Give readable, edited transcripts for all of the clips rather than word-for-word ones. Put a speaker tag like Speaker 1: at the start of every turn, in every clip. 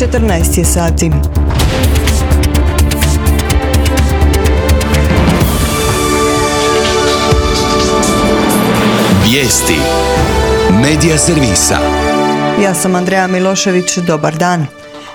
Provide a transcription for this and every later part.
Speaker 1: 14 je sati.
Speaker 2: Vijesti Medija servisa.
Speaker 1: Ja sam Andreja Milošević, dobar dan.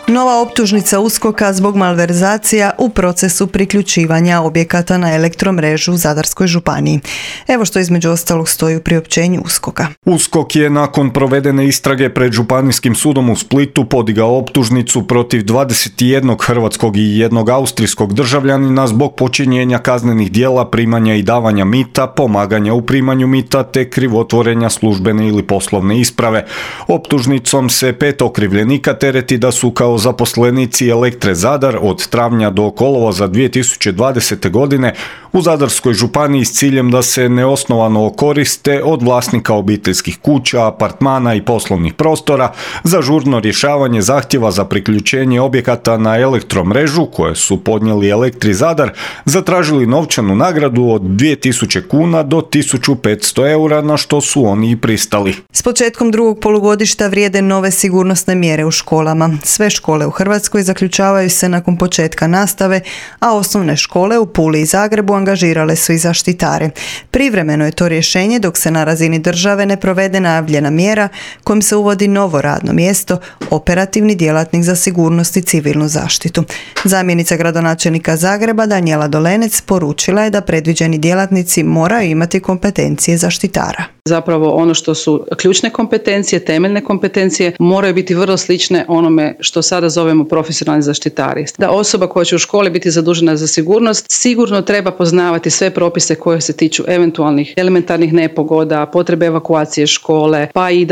Speaker 1: Nova optužnica USKOK-a zbog malverzacija u procesu priključivanja objekata na elektromrežu u Zadarskoj županiji. Evo što između ostalog stoji u priopćenju USKOK-a.
Speaker 3: USKOK je nakon provedene istrage pred Županijskim sudom u Splitu podigao optužnicu protiv 21 hrvatskog i jednog austrijskog državljanina zbog počinjenja kaznenih djela primanja i davanja mita, pomaganja u primanju mita te krivotvorenja službene ili poslovne isprave. Optužnicom se 5 okrivljenika tereti da su kao zaposlenici Elektre Zadar od travnja do kolovoza 2020. godine u Zadarskoj županiji s ciljem da se neosnovano koriste od vlasnika obiteljskih kuća, apartmana i poslovnih prostora za žurno rješavanje zahtjeva za priključenje objekata na elektromrežu koje su podnijeli Elektri Zadar, zatražili novčanu nagradu od 2000 kuna do 1500 eura, na što su oni i pristali.
Speaker 1: S početkom drugog polugodišta vrijede nove sigurnosne mjere u školama. Sve škole u Hrvatskoj zaključavaju se nakon početka nastave, a osnovne škole u Puli i Zagrebu angažirale su i zaštitare. Privremeno je to rješenje dok se na razini države ne provede najavljena mjera kojim se uvodi novo radno mjesto, operativni djelatnik za sigurnost i civilnu zaštitu. Zamjenica gradonačelnika Zagreba Danijela Dolenec poručila je da predviđeni djelatnici moraju imati kompetencije zaštitara.
Speaker 4: Zapravo ono što su ključne kompetencije, temeljne kompetencije moraju biti vrlo slične onome što sada zovemo profesionalni zaštitari. Da osoba koja će u školi biti zadužena za sigurnost sigurno treba poznavati sve propise koje se tiču eventualnih elementarnih nepogoda, potrebe evakuacije škole, pa i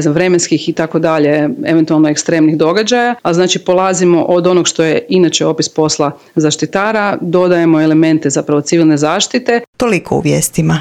Speaker 4: vremenskih i tako dalje, eventualno ekstremnih događaja. A znači polazimo od onog što je inače opis posla zaštitara, dodajemo elemente zapravo civilne zaštite.
Speaker 1: Toliko u vijestima.